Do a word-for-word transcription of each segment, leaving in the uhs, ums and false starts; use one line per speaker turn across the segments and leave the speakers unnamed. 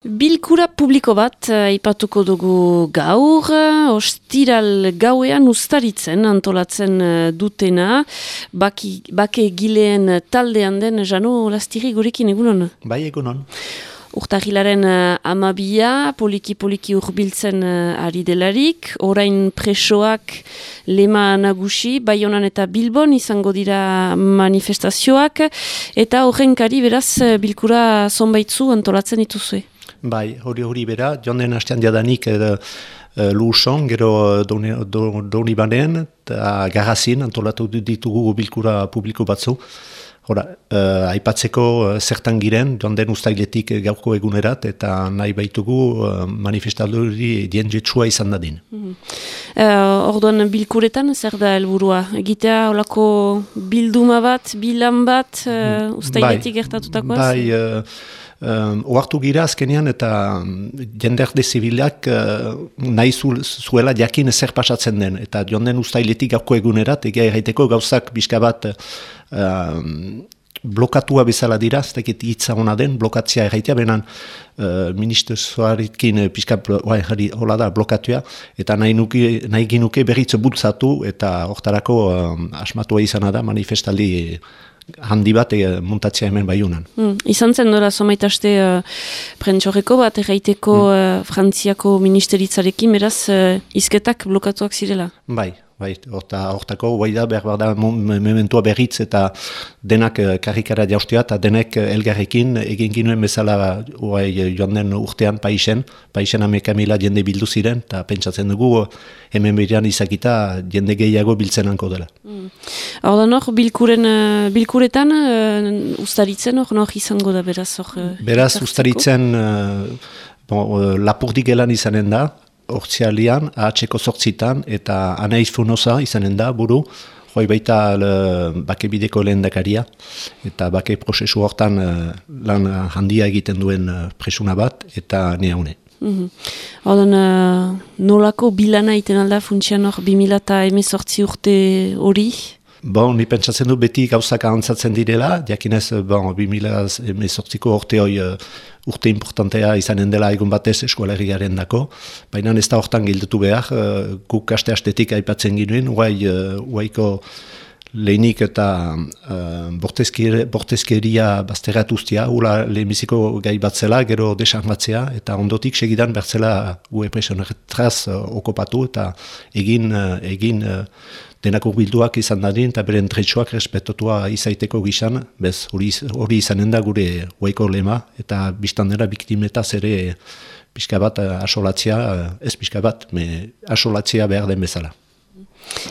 Bilkura publiko bat aipatuko dugu gaur, ostiral gauean ustaritzen antolatzen dutena, baki, bake gileen taldean den Jano Lastiri gurekin egunon?
Bai, egunon.
Urtarrilaren amabia, poliki-poliki urbiltzen ari delarik, orain presoak lema nagusi, Baionan eta Bilbon izango dira manifestazioak, eta horrenkari beraz bilkura zonbaitzu antolatzen dituzue.
Bai, hori hori bera, joan den hastean jadanik uh, Luson, gero Doni Banen, eta Garrazin antolatu ditugu bilkura publiko batzu. Hora, uh, aipatzeko uh, zertan giren, joan den ustailetik gaurko egunerat, eta nahi baitugu uh, manifestadori dienjetsua izan dadin.
Mm-hmm. uh, Orduan bilkuretan, zer da helburua? Egitea olako bilduma bat, bilan bat, uh, ustailetik bai, gertatutakoaz?
Bai, uh, Uh, oartu gira azkenean eta jenderde zibilak uh, nahi zu, zuela jakin zer pasatzen den. Eta joan den ustailetik gauko egunerat, egia erraiteko gauzak bizka bat uh, blokatua bezala dira, ez dakit hitza hona den, blokatzea erraitea, benan uh, ministerioarekin pixka hola da blokatua, eta nahi, nuki, nahi ginuke berriz bultzatu, eta hortarako uh, asmatua izana da manifestaldi handi bat e, montatzea hemen Baiunan.
Hmm. Izan zen dora somaitaste uh, prentxorreko bat erraiteko hmm. uh, Frantziako ministeritzarekin, beraz, uh, izketak blokatuak zirela? Bai.
Bai, hortako, bai da, behar da, mementua berritz eta denak karrikara jaustia eta denek elgarrekin egin ginuen bezala oai, joan den urtean paisen, paisen hameka mila jende bildu ziren, eta pentsatzen dugu hemen berean izakita jende gehiago biltzen hanko dela.
Mm. Hor da nor, bilkuren, bilkuretan uh, ustaritzen hor nor izango da beraz? Or, uh,
beraz, ustaritzen uh, bon, uh, lapurdik gelan izanen da, Hortzialian, ahatseko sortzitan, eta Anaiz Funoza izanen da, buru, joi baita le, bake bideko lehen dakaria, eta bake prozesu hortan uh, lan handia egiten duen uh, presuna bat, eta nea hune.
Mm-hmm. Horten, uh, nolako bilana iten alda funtsian hor bi mila hemezortzi urte hori?
Bon, ni pentsatzen du beti gauzak ahantzatzen direla, jakinez, bon, bi mila hemezortziko urte hoi uh, urte importantea izanen dela egun batez eskualerriaren dako, baina ez da hortan gildutu behar, uh, guk aste-astetik aipatzen ginuen, guai, uh, guaiko lehenik eta uh, bortezkeria bazterratuztia, ula lehenbiziko gai batzela, gero desarmatzea, eta ondotik segidan bertzela gue presionerretraz uh, okopatu, eta egin, uh, egin uh, denako bilduak izan dadin, eta beren tretsuak respetotua izaiteko gizan, bez, hori, hori izanen da gure guaiko lema, eta biztandera biktimetaz ere pixka bat asolatzea, ez pixka bat, me asolatzea behar den bezala.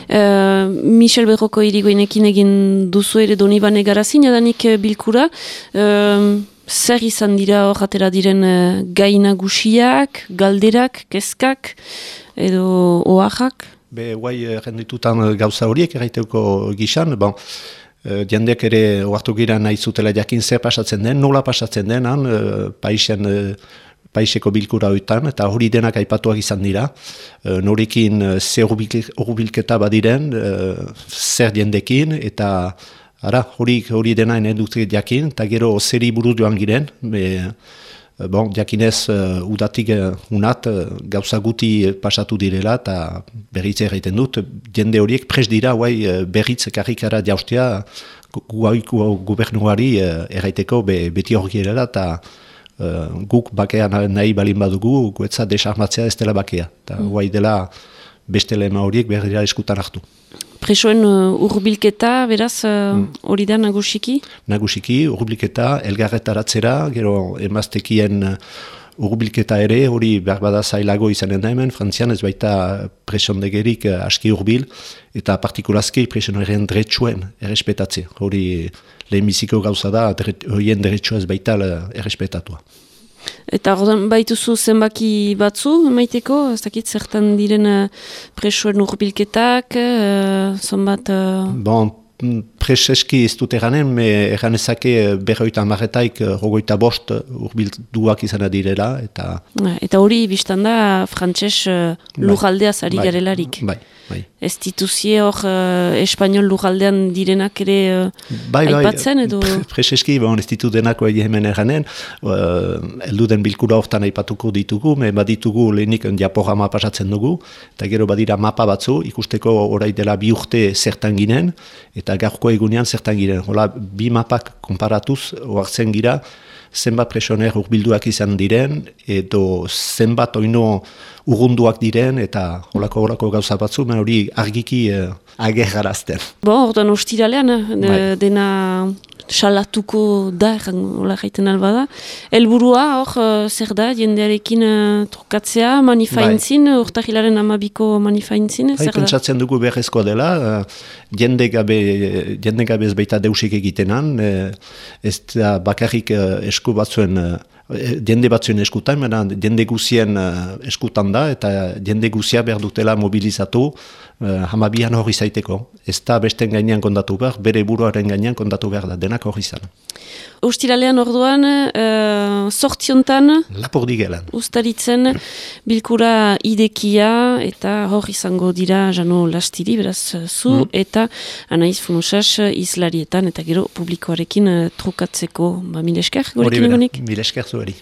Uh, Michel Berroko irigoinekin egin duzu ere Donibane Garrazin, adanik bilkura, uh, zer izan dira hor atera diren uh, gai nagusiak, galderak, kezkak, edo oaxak?
Be, guai, renditutan gauza horiek erraiteko gizan, bon, jendeak ere oartu gira nahi zutela jakin zer pasatzen den, nola pasatzen den, han, paisen, paiseko bilkura hoitan, eta hori denak aipatuak izan dira, norekin zer urbilketa badiren, zer jendekin, eta ara, hori, hori dena ene dut jakin, eta gero zeri buruz joan giren, be, Bon, jakinez, uh, udatik uh, unat uh, gauza guti pasatu direla eta berritze erraiten dut. Jende horiek pres dira guai, uh, berritze karrikara jaustea guai gu, gubernuari uh, erraiteko be, beti hori erela eta uh, guk bakea nahi balin badugu, guetza desarmatzea ez dela bakea. Eta mm. guai dela beste lema horiek behar dira eskutan hartu.
Presoen uh, urbilketa, beraz, hori uh, da nagusiki?
Nagusiki, urbilketa, elgarretaratzera, gero emaztekien uh, urbilketa ere, hori behar bada zailago izanen da hemen, Frantzian ez baita presondegerik uh, aski urbil, eta partikulazki presonerien dretsuen errespetatze. Hori lehenbiziko gauza da, horien dretsua ez baita uh, errespetatua.
Eta ordan baituzu zenbaki batzu, maiteko, ez dakit zertan diren uh, presoen urbilketak, uh, zonbat... Uh...
Bon, preseski ez dut eranen, me eranezake berroita amarretaik rogoita bost urbilduak izan direla. Eta
eta hori biztan da frantses uh, lujaldeaz ari
bai,
garelarik.
Bai, bai.
Ez dituzie hor uh, espanol lujaldean direnak ere uh,
bai,
aipatzen edo?
Bai, preseski, bon, ez ditu denako egi hemen eranen, uh, elduden bilkura hortan aipatuko ditugu, me baditugu lehenik diaporama pasatzen dugu, eta gero badira mapa batzu, ikusteko orai dela bi urte zertan ginen, eta gaurko egunean zertan ginen. Hola, bi mapak konparatuz, oartzen gira, zenbat presoner urbilduak izan diren, edo zenbat oino urrunduak diren, eta holako holako gauza batzu, men hori argiki eh, agerrarazten.
Bo, orduan ostiralean, de,
Bai.
dena salatuko da, hola jaiten alba da. Elburua, hor, uh, zer da, jendearekin uh, trukatzea, manifaintzin, bai. Urtahilaren amabiko manifaintzin,
bai,
zer da?
Pentsatzen dugu beharrezkoa dela, uh, jende gabe, jende gabe ez baita deusik egitenan, uh, ez da bakarrik uh, esku batzuen, uh, jende batzuen eskutan, mena jende guzien uh, eskutan da, eta jende guzia behar dutela mobilizatu, uh, hamabian hori zaiteko. Ez da besten gainean kondatu behar, bere buruaren gainean kondatu behar da, denak hori izan.
Ostiralean orduan, uh, sortziontan,
Lapurdi gelan.
ustaritzen bilkura idekia, eta hor izango dira Jano Lastiri, beraz zu, mm. eta Anaiz Funusas izlarietan, eta gero publikoarekin uh, trukatzeko, ba, mil esker, gorekin egonik?
Mil esker zueri.